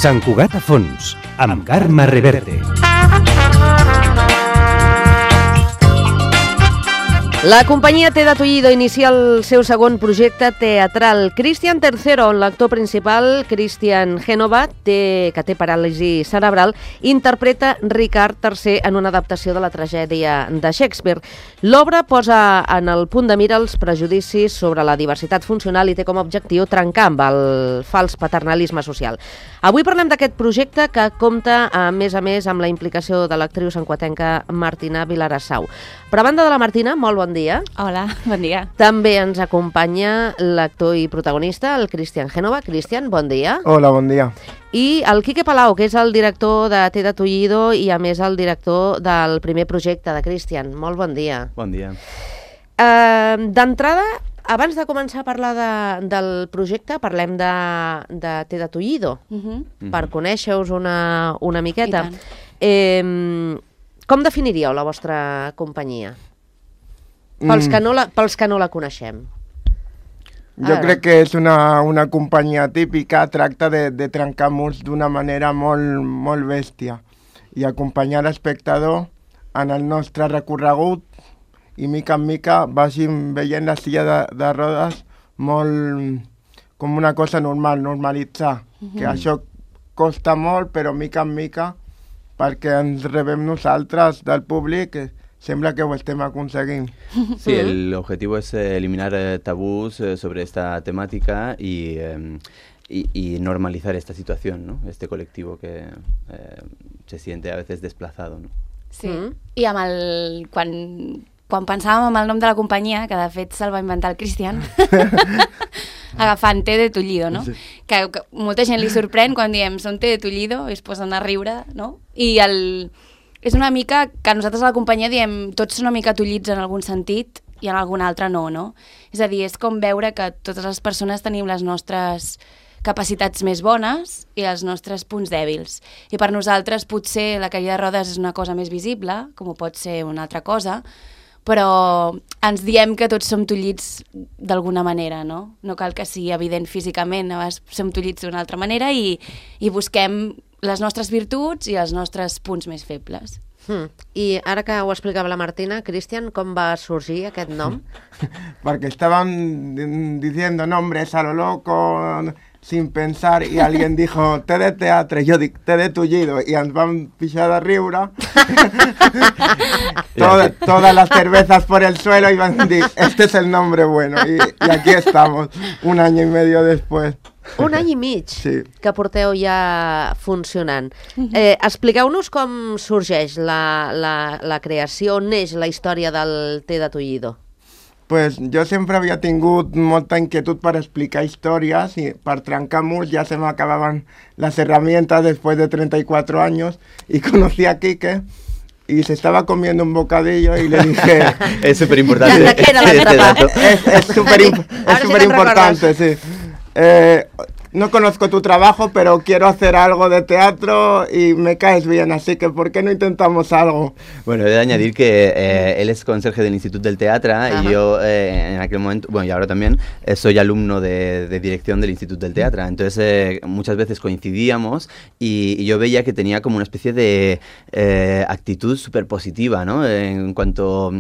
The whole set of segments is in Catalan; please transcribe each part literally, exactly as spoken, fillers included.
Sant Cugat a fons, amb Carme Reverte. La companyia Te de Tullido inicia el seu segon projecte teatral, Cristian tercero, on l'actor principal, Cristian Génova, té, que té paràlisi cerebral, interpreta Ricard tercer en una adaptació de la tragèdia de Shakespeare. L'obra posa en el punt de mira els prejudicis sobre la diversitat funcional i té com a objectiu trencar amb el fals paternalisme social. Avui parlem d'aquest projecte que compta, a més a més, amb la implicació de l'actriu santcugatenca Martina Vilarassau. Però a banda de la Martina, molt bon dia. Hola, bon dia. També ens acompanya l'actor i protagonista, el Cristian Génova. Cristian, bon dia. Hola, bon dia. I el Quique Palau, que és el director de Te de Tullido i, a més, el director del primer projecte de Cristian. Molt bon dia. Bon dia. Uh, D'entrada, abans de començar a parlar de, del projecte, parlem de, de Te de Tullido, uh-huh. per conèixer-us una, una miqueta. Eh, com definiríeu la vostra companyia? Pels que no la, pels que no la coneixem. Jo crec que és una, una companyia típica, tracta de, de trencar murs d'una manera molt, molt bèstia i acompanyar l'espectador en el nostre recorregut i mica en mica vagin veient la silla de, de rodes molt com una cosa normal, normalitzar. Uh-huh. Que això costa molt, però mica en mica, perquè ens rebem nosaltres del públic, que sembla que ho estem aconseguint. Sí, el objetivo es eh, eliminar eh, tabús eh, sobre esta temática y, eh, y, y normalizar esta situación, ¿no? Este colectivo que eh, se siente a veces desplazado, ¿no? Sí, mm. I amb el... Quan, quan pensàvem en el nom de la companyia, que de fet se'l va inventar el Cristian, agafant Te de Tullido, no? Sí. Que, que molta gent li sorprèn quan diem som Te de Tullido i es posen a riure, no? I el... És una mica que nosaltres a la companyia diem tots són una mica tullits en algun sentit i en algun altre no, no? És a dir, és com veure que totes les persones tenim les nostres capacitats més bones i els nostres punts dèbils. I per nosaltres potser la caiguda de rodes és una cosa més visible, com ho pot ser una altra cosa, però ens diem que tots som tullits d'alguna manera, no? No cal que sigui evident físicament, a vegades som tullits d'una altra manera i, i busquem les nostres virtuts i els nostres punts més febles. Hmm. I ara que ho explicava la Martina, Cristian, com va sorgir aquest nom? Perquè estaban diciendo nombres a lo loco, sin pensar, y alguien dijo Te de teatro, y yo dic Te de Tullido, y ens van pixar de riure. Todas, todas las cervezas por el suelo y van a decir, este es el nombre bueno. Y, y aquí estamos, un año y medio después. Un any i mig sí. que porteu ja funcionant. Eh, expliqueu-nos com sorgeix la, la, la creació, on neix la història del Te de Tullido. Pues yo siempre había tingut molta inquietud para explicar historias y para trencar murs ya se me acababan las herramientas después de treinta y cuatro años y conocí a Quique y se estaba comiendo un bocadillo y le dije... Es súper importante. Es, es súper imp si importante, sí. Eh, no conozco tu trabajo, pero quiero hacer algo de teatro y me caes bien, así que ¿por qué no intentamos algo? Bueno, he de añadir que eh, él es conserje del Instituto del Teatro y yo eh, en aquel momento, bueno, y ahora también, eh, soy alumno de, de dirección del Instituto del Teatro. Entonces eh, muchas veces coincidíamos y, y yo veía que tenía como una especie de eh, actitud súper positiva, ¿no? En cuanto,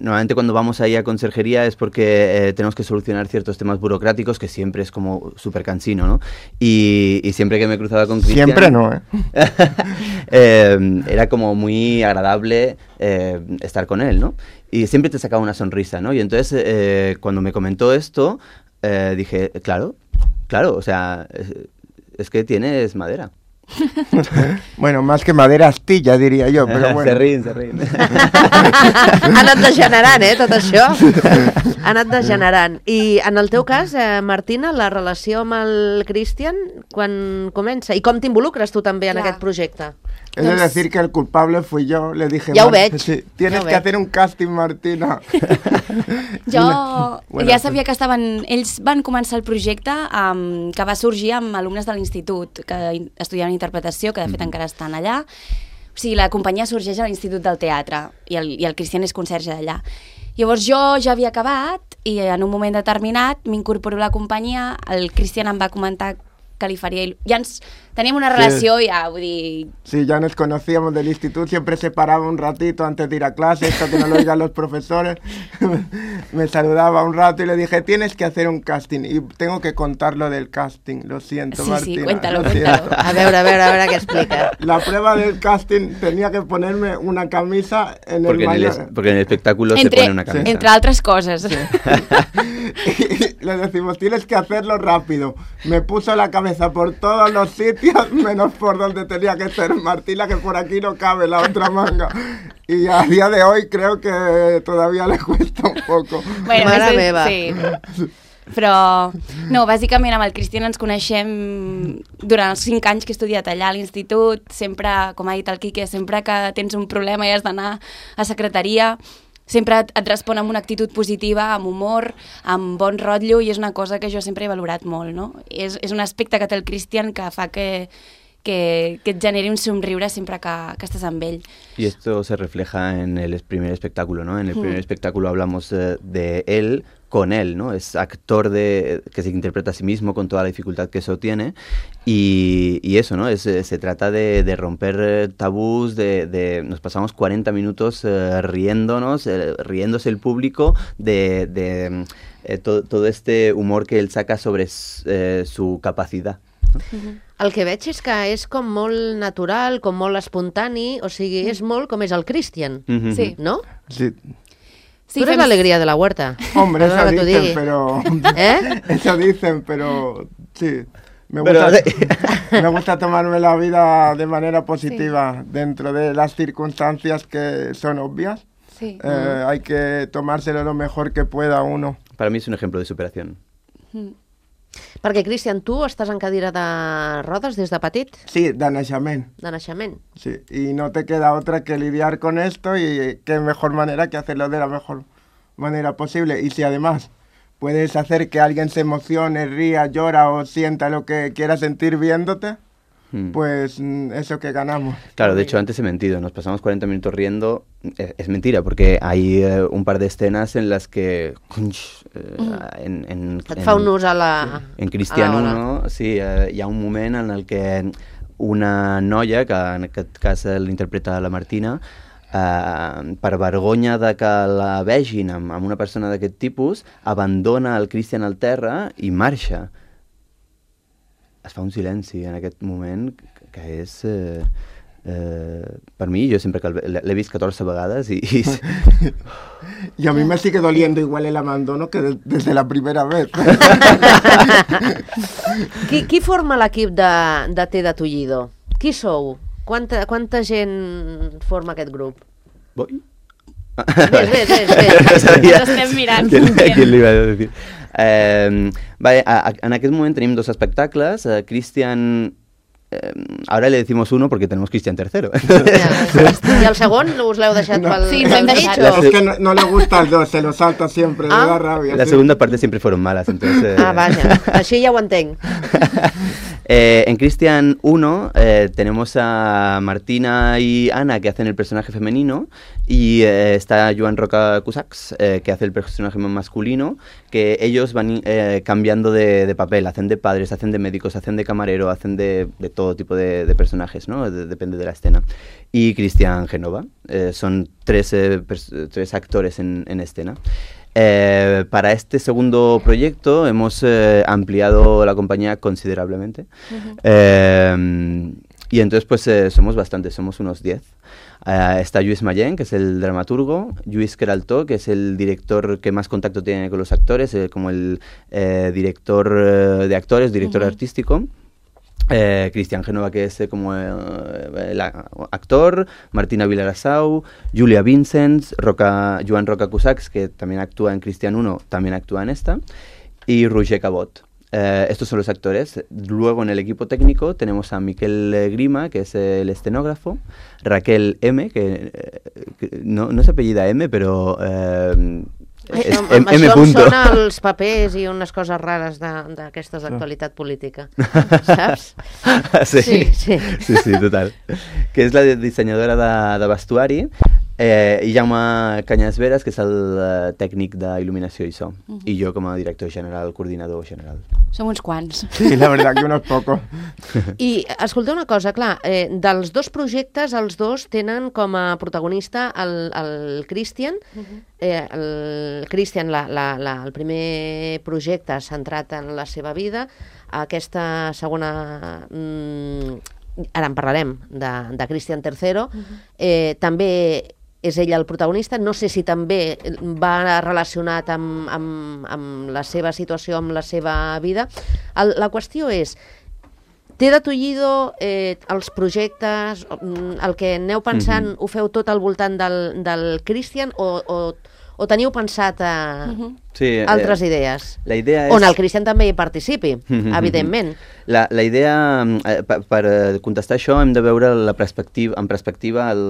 normalmente cuando vamos ahí a conserjería es porque eh, tenemos que solucionar ciertos temas burocráticos que siempre es como súper cansino, ¿no? Y, y siempre que me cruzaba con Cristian... Siempre no, ¿eh? eh era como muy agradable eh, estar con él, ¿no? Y siempre te sacaba una sonrisa, ¿no? Y entonces, eh, cuando me comentó esto, eh, dije, claro, claro, o sea, es, es que tienes madera. Bueno, más que madera, astilla, diria jo, però bueno. Se rient, se rient. Ha anat degenerant, eh, tot això. Ha anat degenerant. I en el teu cas, eh, Martina, la relació amb el Cristian, quan comença? I com t'involucres tu també en Clar. aquest projecte? Es de decir que el culpable fui yo, le dije... Ja ho veig. Sí, tienes ja que hacer un casting, Martina. Jo bueno, ja sabia que estaven... Ells van començar el projecte um, que va sorgir amb alumnes de l'institut, que estudiaven interpretació, que de fet mm. encara estan allà. O sigui, la companyia sorgeix a l'Institut del Teatre i el, i el Cristian és conserge d'allà. Llavors jo ja havia acabat i en un moment determinat m'incorporo a la companyia, el Cristian em va comentar que li faria... il- Ja ens... Teníem una relació, Sí. ja, vull dir... Sí, ya nos conocíamos del instituto, siempre se paraba un ratito antes de ir a clase, esto que no lo oigan los profesores. Me saludaba un rato y le dije, tienes que hacer un casting. Y tengo que contar lo del casting, lo siento, Sí, sí, Martina. cuéntalo, lo cuéntalo. siento. A veure, a veure, a veure què explica. La prueba del casting tenía que ponerme una camisa en Porque el en el, mayor. es- porque en el espectáculo se Entre, pone una camisa. entre altres coses. Y le decimos, tienes que hacerlo rápido. Me puso la cabeza por todos los sitios, menos por donde tenía que ser Martina, que por aquí no cabe la otra manga. Y a día de hoy creo que todavía le cuesta un poco. Bueno, Mare és- meva. Sí. Però, no, bàsicament amb el Cristian ens coneixem durant els cinc anys que he estudiat allà a l'institut, sempre, com ha dit el Quique, sempre que tens un problema i has d'anar a secretaria, sempre et, et respon amb una actitud positiva, amb humor, amb bon rotllo, i és una cosa que jo sempre he valorat molt, no? És, és un aspecte que té el Cristian que fa que, que, que et generi un somriure sempre que, que estàs amb ell. Y esto se refleja en el es- primer espectáculo, ¿no? En el primer espectáculo hablamos eh, de él con él, ¿no? Es actor de, que se interpreta a sí mismo con toda la dificultad que eso tiene y, y eso, ¿no? Es, eh, se trata de, de romper eh, tabús, de, de- nos pasamos cuarenta minutos eh, riéndonos, eh, riéndose el público de, de, mm, eh, to- todo este humor que él saca sobre s- eh, su capacidad. El que veig és que és com molt natural, com molt espontani, o sigui, és molt com és el Cristian, Ujú. Sí. no? Sí. Sí, tu eres fem- l'alegria de la huerta. Hombre, eso Perdona que t'ho dicen, digui. pero... ¿Eh? Eso dicen, pero sí. Me Pero- gusta, me gusta tomarme la vida de manera positiva dentro de las circunstancias que son obvias. Sí. Eh, hay que tomárselo lo mejor que pueda uno. Para mí es un ejemplo de superación. Perquè, Cristian, tu estàs en cadira de rodes des de petit, Sí, de naixement. de naixement. Sí, y no te queda otra que lidiar con esto y qué mejor manera que hacerlo de la mejor manera posible. Y si además puedes hacer que alguien se emocione, ría, llora o sienta lo que quiera sentir viéndote, Mm. pues mm, eso que ganamos. Claro, de hecho antes he mentido, nos pasamos cuarenta minutos riendo, es, es mentira, porque hay eh, un par de escenas en las que conch, eh, en, en, Et fa un ús a la... en Cristian a la hora. uno, sí, eh, hi ha un moment en el que una noia, que en aquest cas eh, l'interpreta la Martina, eh, per vergonya de que la vegin amb, amb una persona d'aquest tipus, abandona el Cristian al terra i marxa. Es fa un silenci en aquest moment que- que és... Eh, eh, per mi, jo sempre que el- l'he l'he vist catorze vegades i... i Y a mí me sigue doliendo igual el abandono que de- desde la primera vez. Qui, qui forma l'equip de, de Té de Tullido? Qui sou? Quanta, quanta gent forma aquest grup? Voy? Ves, ves, ves, ves. No sabia Ens estem mirant. Qui, qui li va dir. Eh, vale, a, a, en aquest moment tenim dos espectacles. Eh, Cristian... Eh, ahora le decimos uno porque tenemos Cristian tercero. Ja. I el segon us l'heu deixat No. pel, Sí, ens pel hem mig, deixat. o- Es que no, no le gusta el dos, se lo salta siempre, Ah. le da rabia. La sí. segunda parte siempre fueron malas, entonces... eh, Ah, vaja, així ja ho entenc. Eh, en Cristian uno eh, tenemos a Martina y Ana que hacen el personaje femenino y eh, está Joan Roca Cusax eh, que hace el personaje masculino, que ellos van eh, cambiando de, de papel, hacen de padres, hacen de médicos, hacen de camarero, hacen de, de todo tipo de, de personajes, ¿no? De- depende de la escena. Y Cristian Genova, eh, son tres, eh, pers- tres actores en, en escena. Eh, para este segundo proyecto hemos eh, ampliado la compañía considerablemente. Eh, y entonces pues eh, somos bastantes, somos unos diez. Eh, está Lluís Mayen, que es el dramaturgo, Lluís Queraltó, que es el director que más contacto tiene con los actores, eh, como el eh, director eh, de actores, director Ujú. artístico. Eh, Cristian Genova, que es eh, como eh, el a- actor, Martina Vilarasau, Julia Vincents, Roca, Joan Roca Cusax, que también actúa en Cristian uno, también actúa en esta, y Roger Cabot. Eh, estos son los actores. Luego en el equipo técnico tenemos a Miquel eh, Grima, que es el escenógrafo, Raquel M, que, eh, que no, no se apellida M, pero... Eh, és Amb, M, amb M això em punto. sona els papers i unes coses rares de- d'aquestes d'actualitat política, saps? sí. Sí, sí. Sí, sí, total. Que és la de- dissenyadora de, de vestuari. Eh, I Jaume Canyes Veras, que és el uh, tècnic d'il·luminació i so, uh-huh. i jo com a director general, coordinador general. Som uns quants. Sí, la verdad que unos pocos. I escolteu una cosa, clar, eh, dels dos projectes, els dos tenen com a protagonista el, el Christian. Uh-huh. eh, el Christian, la, la, la, el primer projecte centrat en la seva vida. Aquesta segona... Mm, ara en parlarem, de, de Christian tercero. Uh-huh. eh, també és ell el protagonista. No sé si també va relacionat amb, amb, amb la seva situació, amb la seva vida. El, la qüestió és, té de Tullido eh, els projectes, el que aneu pensant, uh-huh. ho feu tot al voltant del, del Christian o, o, o teniu pensat a uh-huh. sí, altres eh, idees? La idea és... On el Christian també hi participi, uh-huh. evidentment. La, la idea, eh, per, per contestar això, hem de veure la perspectiva, en perspectiva el,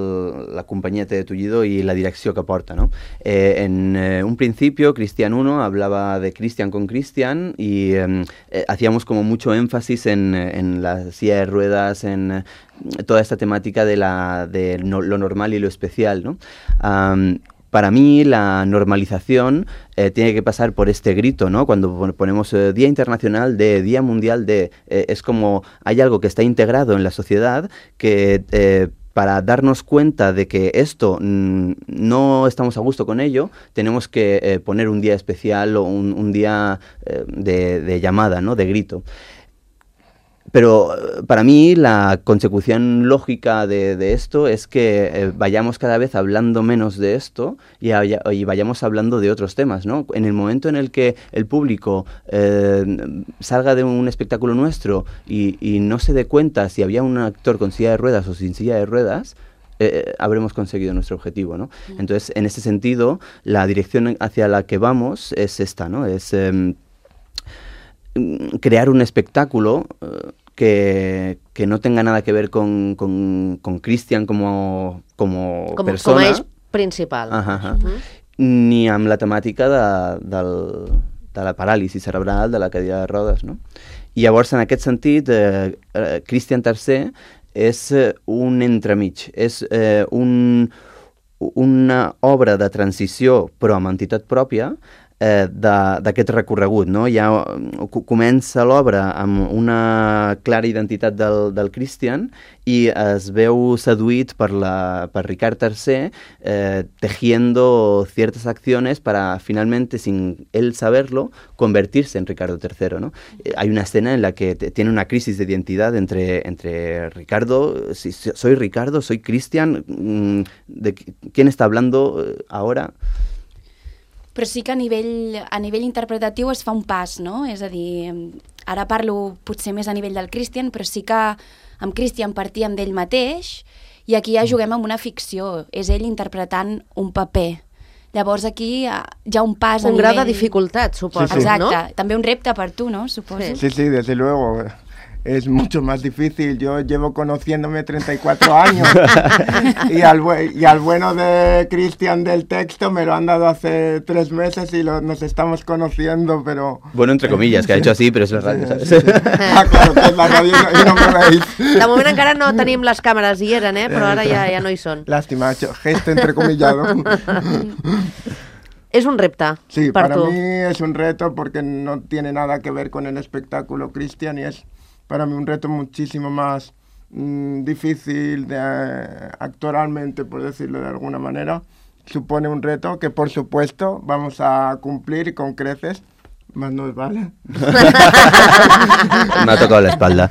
la companyia T de Tullido i la direcció que porta, ¿no? Eh, en eh, un principio, Christian uno hablaba de Christian con Christian y eh, eh, hacíamos como mucho énfasis en, en la silla de ruedas, en eh, toda esta temática de, la, de no, lo normal y lo especial, ¿no? Um, Para mí la normalización eh, tiene que pasar por este grito, ¿no? Cuando ponemos eh, Día Internacional de, Día Mundial de... Eh, es como hay algo que está integrado en la sociedad que... Eh, para darnos cuenta de que esto mmm, no estamos a gusto con ello, tenemos que eh, poner un día especial o un, un día eh, de, de llamada, ¿no? De grito. Pero para mí la consecución lógica de, de esto es que eh, vayamos cada vez hablando menos de esto y, haya, y vayamos hablando de otros temas, ¿no? En el momento en el que el público eh, salga de un espectáculo nuestro y, y no se dé cuenta si había un actor con silla de ruedas o sin silla de ruedas, Eh, habremos conseguido nuestro objetivo, ¿no? Entonces, en ese sentido, la dirección hacia la que vamos es esta, ¿no? Es eh, crear un espectáculo eh, que, que no tenga nada que ver con, con, con Christian como, como, como persona. Com a eix principal. Ajá, ajá. Uh-huh. Ni amb la temàtica de, del, de la paràlisi cerebral, de la cadira de rodes, no? I llavors, en aquest sentit, eh, eh, Christian tercer és un entremig, és eh, un, una obra de transició però amb entitat pròpia eh, d'aquest recorregut, no? Ja comença l'obra amb una clara identitat del, del Christian i es veu seduït per, la, per Ricard tercer eh, tejiendo ciertas acciones para finalmente, sin él saberlo, convertirse en Ricardo tercero, ¿no? Eh, hay una escena en la que te, tiene una crisis de identidad entre, entre Ricardo, si, soy Ricardo, soy Christian, ¿de quién está hablando ahora? Però sí que a nivell, a nivell interpretatiu es fa un pas, no? És a dir, ara parlo potser més a nivell del Christian, però sí que amb Christian partíem d'ell mateix i aquí ja juguem amb una ficció, és ell interpretant un paper. Llavors aquí hi ha un pas un a nivell... Un grau de dificultat, suposo, sí, sí. Exacte. ¿no? També un repte per tu, ¿no? Suposo. Sí, sí, desde luego. Es mucho más difícil. Yo llevo conociéndome treinta y cuatro años y, al y al bueno de Christian del texto me lo han dado hace tres meses y lo, nos estamos conociendo, pero... Bueno, entre comillas, que ha hecho así, pero es la radio, ¿sabes? Sí, sí. Ah, claro, que es la radio y no me veis. De moment encara no tenim les càmeres, hi eren, eh? Però ara ja, ja no hi són. Lástima, gesto entrecomillado. Es un repte sí, para tu. mí es un reto porque no tiene nada que ver con el espectáculo Christian y es para mí un reto muchísimo más mmm, difícil de, eh, actoralmente, por decirlo de alguna manera. Supone un reto que, por supuesto, vamos a cumplir con creces, más nos vale. Me ha tocado la espalda.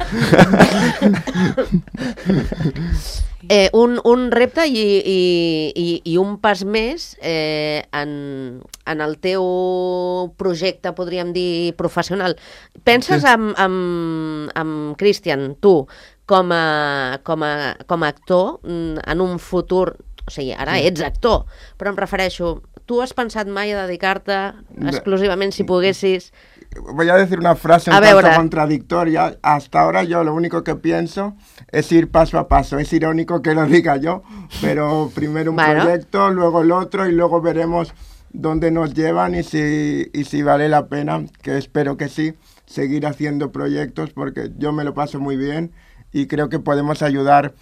Eh, un, un repte i, i, i, i un pas més eh, en, en el teu projecte, podríem dir, professional. Penses sí. amb, amb, amb Christian, tu, com a, com a, com a actor, en un futur... O sigui, ara sí. ets actor, però em refereixo... Tu has pensat mai a dedicar-te exclusivament, si poguessis... Voy a decir una frase un tanto contradictoria. Hasta ahora yo lo único que pienso es ir paso a paso. Es irónico que lo diga yo, pero primero un bueno. proyecto, luego el otro y luego veremos dónde nos llevan y si, y si vale la pena, que espero que sí, seguir haciendo proyectos porque yo me lo paso muy bien y creo que podemos ayudar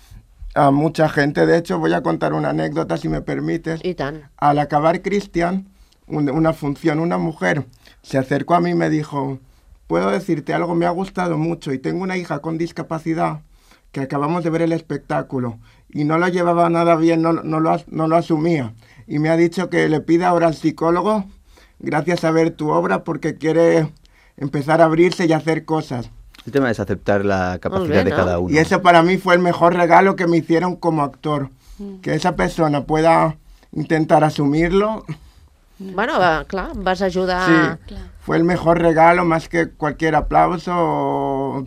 a mucha gente. De hecho, voy a contar una anécdota, si me permites. I tant. Al acabar Cristian, un, una función, una mujer se acercó a mí y me dijo, puedo decirte algo, me ha gustado mucho y tengo una hija con discapacidad que acabamos de ver el espectáculo y no lo llevaba nada bien, no, no, lo, no lo asumía. Y me ha dicho que le pida ahora al psicólogo, gracias a ver tu obra, porque quiere empezar a abrirse y hacer cosas. El tema es aceptar la capacidad bien, de ¿no? cada uno. Y eso para mí fue el mejor regalo que me hicieron como actor. Mm. Que esa persona pueda intentar asumirlo. Bueno, va, clar, vas ajudar... Sí, clar. Fue el mejor regalo, más que cualquier aplauso o,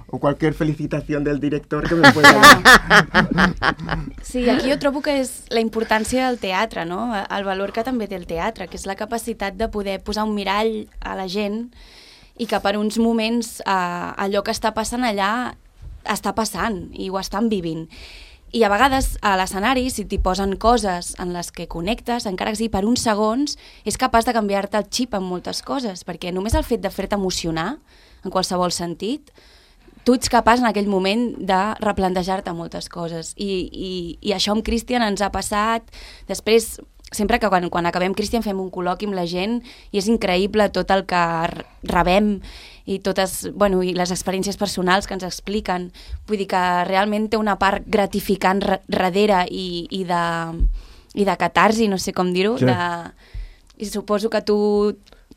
o cualquier felicitación del director que me pueda dar. Sí, aquí jo trobo que és la importància del teatre, no? El valor que també té el teatre, que és la capacitat de poder posar un mirall a la gent i que per uns moments eh, allò que està passant allà està passant i ho estan vivint. I a vegades a l'escenari, si t'hi posen coses en les que connectes, encara que sigui per uns segons, és capaç de canviar-te el xip en moltes coses, perquè només el fet de fer-te emocionar, en qualsevol sentit, tu ets capaç en aquell moment de replantejar-te moltes coses. I, i, i això amb Cristian ens ha passat. Després, sempre que quan, quan acabem Cristian fem un col·loqui amb la gent i és increïble tot el que rebem i totes, bueno, i les experiències personals que ens expliquen. Vull dir que realment té una part gratificant darrere i, i, de, i de catarsi, no sé com dir-ho. Sí. De... I suposo que tu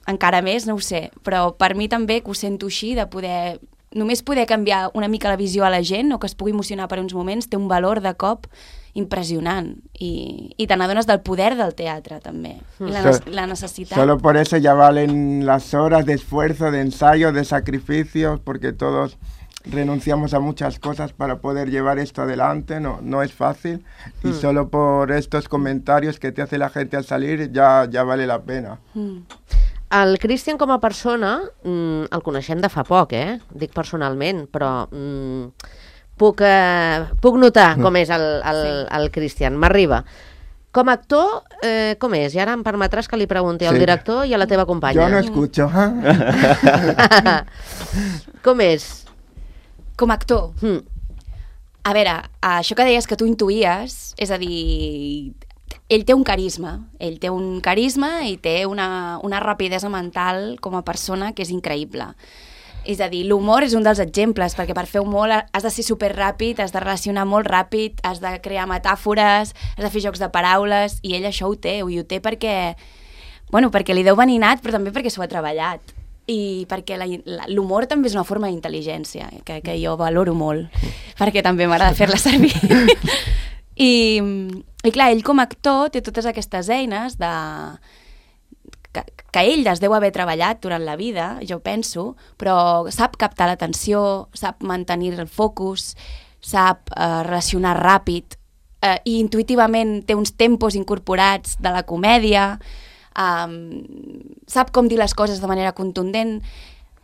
encara més, no ho sé, però per mi també que ho sento així, de poder... Només poder canviar una mica la visió a la gent o que es pugui emocionar per uns moments té un valor de cop impressionant i, i te n'adones del poder del teatre també i la, so, la necessitat. Solo por eso ya valen las horas de esfuerzo, de ensayo, de sacrificios, porque todos renunciamos a muchas cosas para poder llevar esto adelante, no, no es fácil y mm. solo por estos comentarios que te hace la gente al salir ya, ya vale la pena. Mm. El Cristian com a persona mm, el coneixem de fa poc, eh? Dic personalment, però mm, puc, eh, puc notar com és el, el, sí. el Cristian, m'arriba. Com a actor, eh, com és? I ara em permetràs que li pregunti sí. al director i a la teva companya. Jo no escucho. Com és? Com a actor? Mm. A veure, això que deies que tu intuïes, és a dir... Ell té un carisma, ell té un carisma i té una, una rapidesa mental com a persona que és increïble. És a dir, l'humor és un dels exemples, perquè per fer humor has de ser superràpid, has de relacionar molt ràpid, has de crear metàfores, has de fer jocs de paraules, i ell això ho té, i ho té perquè, bueno, perquè li deu venir nat, però també perquè s'ho ha treballat. I perquè l'humor també és una forma d'intel·ligència, que, que jo valoro molt, perquè també m'agrada fer-la servir. I, I clar, ell com a actor té totes aquestes eines de... que, que ell es deu haver treballat durant la vida, jo penso, però sap captar l'atenció, sap mantenir el focus, sap eh, relacionar ràpid eh, i intuïtivament té uns tempos incorporats de la comèdia, eh, sap com dir les coses de manera contundent,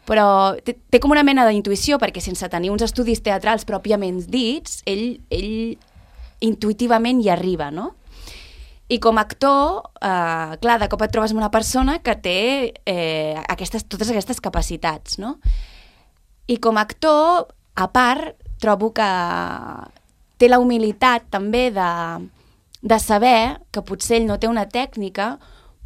però té, té com una mena d'intuïció, perquè sense tenir uns estudis teatrals pròpiament dits, ell... ell intuïtivament hi arriba, no? I com a actor, eh, clar, de cop et trobes amb una persona que té eh, aquestes, totes aquestes capacitats, no? I com a actor, a part, trobo que té la humilitat també de, de saber que potser ell no té una tècnica,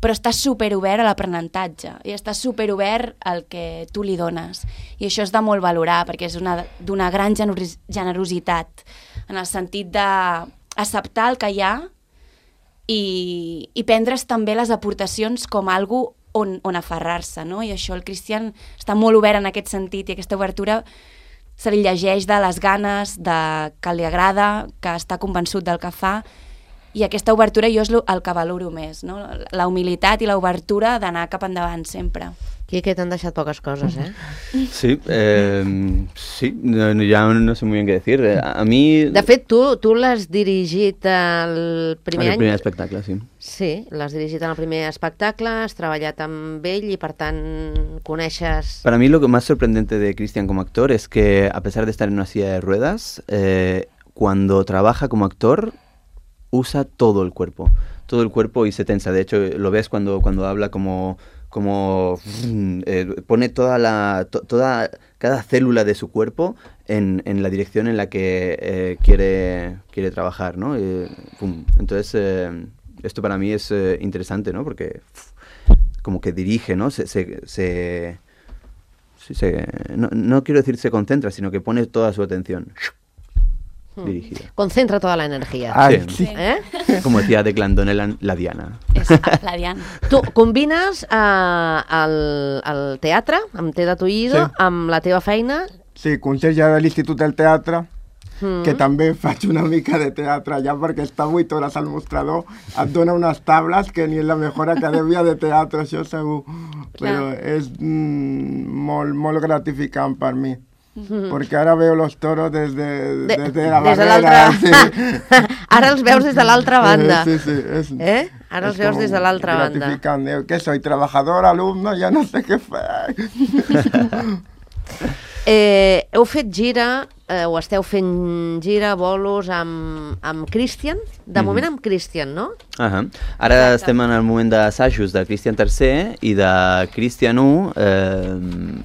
però està superobert a l'aprenentatge i està superobert al que tu li dones. I això és de molt valorar, perquè és d'una gran generos generositat, en el sentit d'acceptar el que hi ha i, i prendre's també les aportacions com algo on, on aferrar-se, no? I això el Cristian està molt obert en aquest sentit, i aquesta obertura se li llegeix de les ganes, de que li agrada, que està convençut del que fa, i aquesta obertura jo és el que valoro més, no? La humilitat i l'obertura d'anar cap endavant sempre. Quique, t'han deixat poques coses, eh? Sí, eh, sí, no, ya no sé muy bien qué decir. A mí... De fet, tu, tu l'has dirigit el primer any... El primer espectacle, sí. Sí, l'has dirigit en el primer espectacle, has treballat amb ell i, per tant, coneixes... Para mí lo que más sorprendente de Cristian como actor es que, a pesar de estar en una silla de ruedas, eh, cuando trabaja como actor, usa todo el cuerpo, todo el cuerpo y se tensa. De hecho, lo ves cuando, cuando habla como... como eh, pone toda la, to, toda, cada célula de su cuerpo en, en la dirección en la que eh, quiere, quiere trabajar, ¿no? Eh, pum. Entonces, eh, esto para mí es eh, interesante, ¿no? Porque uf, como que dirige, ¿no? Se, se, se, se, no, no quiero decir se concentra, sino que pone toda su atención dirigida. Concentra toda la energía. Ay, Sí. sí. Eh? Como decía Declan la, la Diana. És la Diana. Tu combines eh, el, el teatre, amb Te de Tullido, Sí. amb la teva feina. Sí, conseller de l'Institut del Teatre, Mm. que també faig una mica de teatre allà perquè està vuit hores al mostrador, et dona unes tables que ni en la millor acadèmia de teatre, això segur. Però és mm, molt, molt gratificant per mi. Mm-hmm. Perquè ara veo los toros des de, De, des de la des de barrera. l'altra... Ara els veus des de l'altra banda. Sí, sí, és, Eh? Ara els és veus com des de l'altra banda. gratificant. Eh, què soy, trabajador, alumno, ja no sé què fer. Eh, heu fet gira, eh, o esteu fent gira, bolos amb, amb Christian? De Mhm. moment amb Christian, no? Uh -huh. Ara Exacte. estem en el moment d'assajos de Cristian tercer i de Cristian u eh,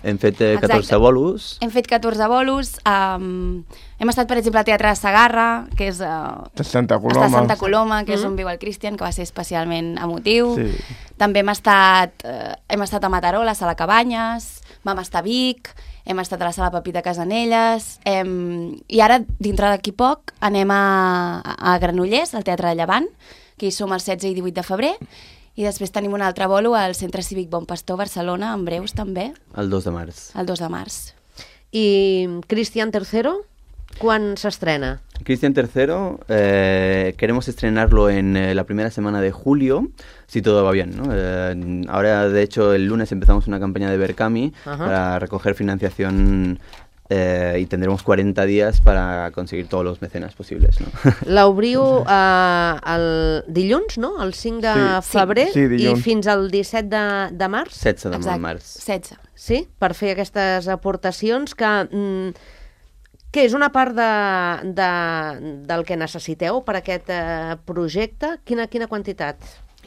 hem fet eh, catorze Exacte. bolos. Hem fet catorze bolos. Um, hem estat, per exemple, al Teatre de Sagarra, que és uh, De Santa està a Coloma. Santa Coloma, que és Mm. on viu el Christian, que va ser especialment emotiu. Sí. També hem estat, eh, hem estat a Mataró, a la Sala Cabanyes, vam estar a Vic, hem estat a la Sala Pepita Casanelles, hem... i ara, dintre d'aquí poc, anem a, a Granollers, al Teatre de Llevant, que hi som el setze i divuit de febrer, i després tenim un altre bolo al Centre Cívic Bon Pastor, Barcelona, en breus també, El dos de març. el dos de març. I Christian tercero, quan s'estrena? Cristian tercero, eh, queremos estrenarlo en eh, la primera semana de julio, si todo va bien, ¿no? Eh, ahora, de hecho, el lunes empezamos una campaña de Berkami Ajá. para recoger financiación eh, y tendremos cuarenta días para conseguir todos los mecenas posibles, ¿no? L'obriu eh, el dilluns, no? El cinc de Sí. febrer, Sí, dilluns. i fins al disset de, de març? setze de Exacte, març. setze. Sí? Per fer aquestes aportacions que... Mm, què és una part de, de, del que necessiteu per aquest eh, projecte? Quina, quina quantitat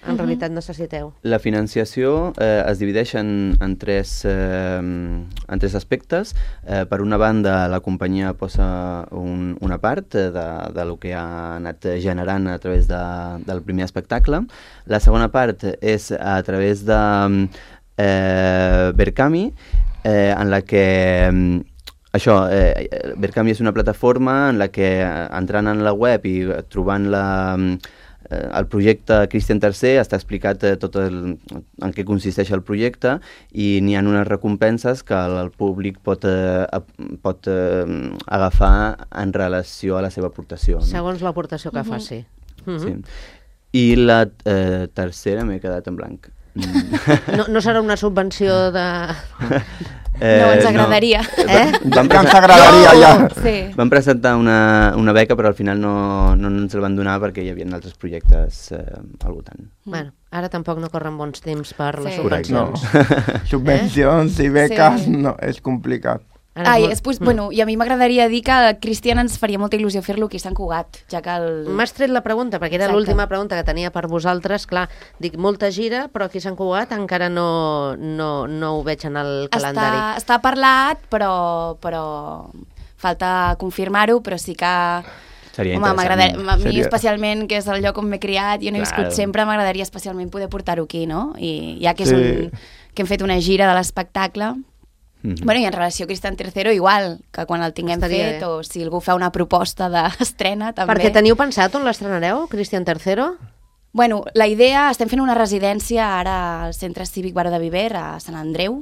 en Mhm. realitat necessiteu? La financiació eh, es divideix en, en, tres, eh, en tres aspectes. Eh, per una banda, la companyia posa un, una part eh, de, de lo que ha anat generant a través de, del primer espectacle. La segona part és a través de eh, Berkami, eh, en la que... Això, eh, Berkami és una plataforma en la que, entrant en la web i trobant la, eh, el projecte Cristian tercer, està explicat eh, tot el, en què consisteix el projecte, i n'hi ha unes recompenses que el, el públic pot, eh, pot eh, agafar en relació a la seva aportació. No? Segons l'aportació que Mhm. faci. Mhm. Sí. I la eh, tercera m'he quedat en blanc. Mm. No, no serà una subvenció de... Eh, No, ens agradaria. Eh? Ja Vam, ens presen agradaria, ja. Sí. vam presentar una, una beca, però al final no, no ens el van donar perquè hi havia altres projectes eh, al voltant. Bueno, ara tampoc no corren bons temps per les Sí. subvencions. No. Subvencions i beques, Sí. no, és complicat. Ara Ai, molt- és, pues, bueno, i a mi m'agradaria dir que el Cristian ens faria molta il·lusió fer-lo aquí a Sant Cugat, ja que el... M'has tret la pregunta, perquè era Exacte. l'última pregunta que tenia per vosaltres. Clar, dic, molta gira, però aquí a Sant Cugat encara no, no, no ho veig en el calendari. Està, està parlat, però, però falta confirmar-ho, però sí que... Seria Home, m'agradaria, interessant. a mi Seria- especialment, que és el lloc on m'he criat i on he Claro. viscut sempre, m'agradaria especialment poder portar-ho aquí, no? I ja que, és Sí. un, que hem fet una gira de l'espectacle... Mhm. Bueno, i en relació a Cristian tercero, igual, que quan el tinguem Estaria fet, bé. o si algú fa una proposta d'estrena, també. Perquè teniu pensat on l'estrenareu, Cristian tercero? Bueno, la idea, estem fent una residència ara al Centre Cívic Baró de Viver, a Sant Andreu.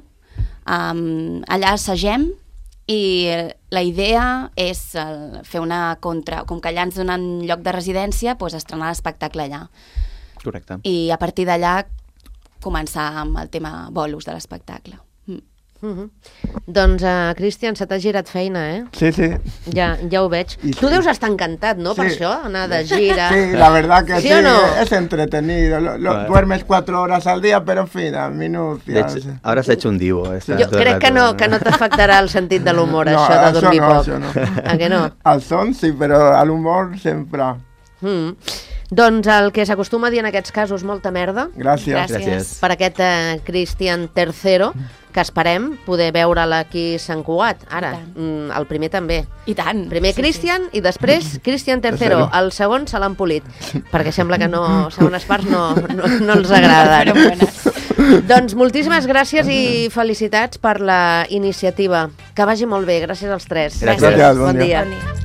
Um, allà assagem i la idea és el, fer una contra... Com que allà ens donen lloc de residència, doncs estrenar l'espectacle allà. Correcte. I a partir d'allà començar amb el tema bolos de l'espectacle. Mm. Uh -huh. Doncs, uh, Cristian, se t'ha girat feina, eh? Sí, sí. Ja, ja ho veig. I Tu sí. deus estar encantat, no?, per Sí. això, anar de gira. Sí, la verdad que ¿Sí sí, o no? es entretenido. Lo- lo- Bueno. duermes cuatro horas al día, pero en fin, a De minucias. hecho, ahora se ha hecho un divo. está Jo todo el crec que rato, no, que no t'afectarà el sentit de l'humor, No, això de això dormir no, poc. això no. A que no? Al son sí, pero al humor siempre. Mm. Doncs el que s'acostuma a dir en aquests casos, molta merda. Gràcies. Gràcies. Per aquest eh, Cristian tercero, que esperem poder veure'l aquí a Sant Cugat. Ara, mm, el primer també. I tant. Primer Sí, Cristian i després Cristian tercero. Tercero. El segon se l'han polit, perquè sembla que no, segones parts no, no, no els agraden. Però bones. Doncs moltíssimes gràcies i felicitats per la iniciativa. Que vagi molt bé, gràcies als tres. Gràcies. Gràcies, bon Bon dia. dia. Bon dia.